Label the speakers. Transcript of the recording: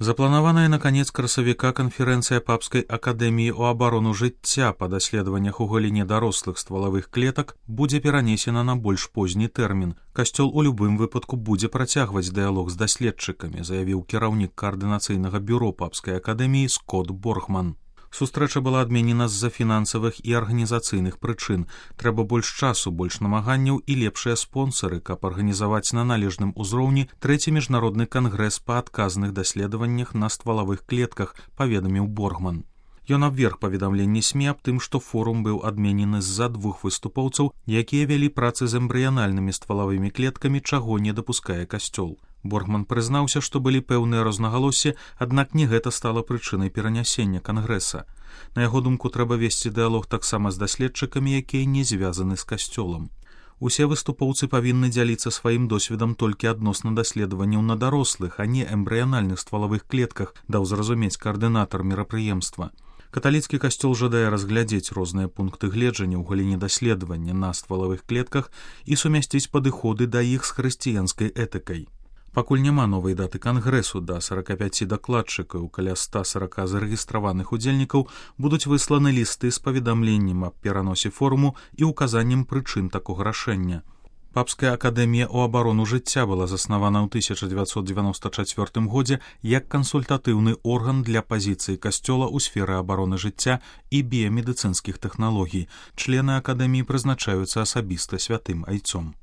Speaker 1: Запланованная на конец красавіка канферэнцыя Папскай акадэміі ў абарону жыцця па даследаваннях у галіне дарослых ствалавых клетак будзе перанесена на больш позні тэрмін. Касцёл у любым выпадку будзе працягваць дыялог з даследчыкамі, заявіў кіраўнік каардынацыйнага бюро Папскай акадэміі Скот Боргман. Сустрэча была адменена з-за фінансавых і арганізацыйных прычын. Трэба больш часу, больш намаганняў і лепшыя спонсары, каб арганізаваць на належным узроўні трэці міжнародны кангрэс па адказных даследаваннях на ствалавых клетках, паведаміў Боргман. Ён абверг паведамленні СМІ аб тым, што форум быў адменены з-за двух выступоўцаў, якія вялі працы з эмбрыянальнымі ствалавымі клеткамі, чаго не дапускае касцёл. Боргман прызнаўся, што былі пэўныя рознагалоссі, аднак не гэта стала прычынай перанясення кангрэса. На яго думку, трэба весці дыялог таксама з даследчыкамі, якія не звязаны з касцёлам. Усе выступоўцы павінны дзяліцца сваім досведам толькі адносна даследаванняў на дарослых, а не эмбрыянальных ствалавых клетках, даў зразумець каардынатар мерапрыемства. Каталіцкі касцёл жадае разглядзець розныя пункты гледжання ў галіне даследавання на ствалавых клетках і сумясціць падыходы да іх з хрысціянскай этыкай. Пакуль няма новай даты кангрэсу, да 45 дакладчыкаў, каля 140 зарэгістраваных удзельнікаў будуць высланы лісты з паведамленнем аб пераносе форуму і указаннем прычын такога рашэння. Папская акадэмія ў абарону жыцця была заснавана ў 1994 годзе як кансультатыўны орган для пазіцыі касцёла ў сферы абароны жыцця і біямедыцынскіх тэхналогій. Члены акадэміі прызначаюцца асабіста святым айцом.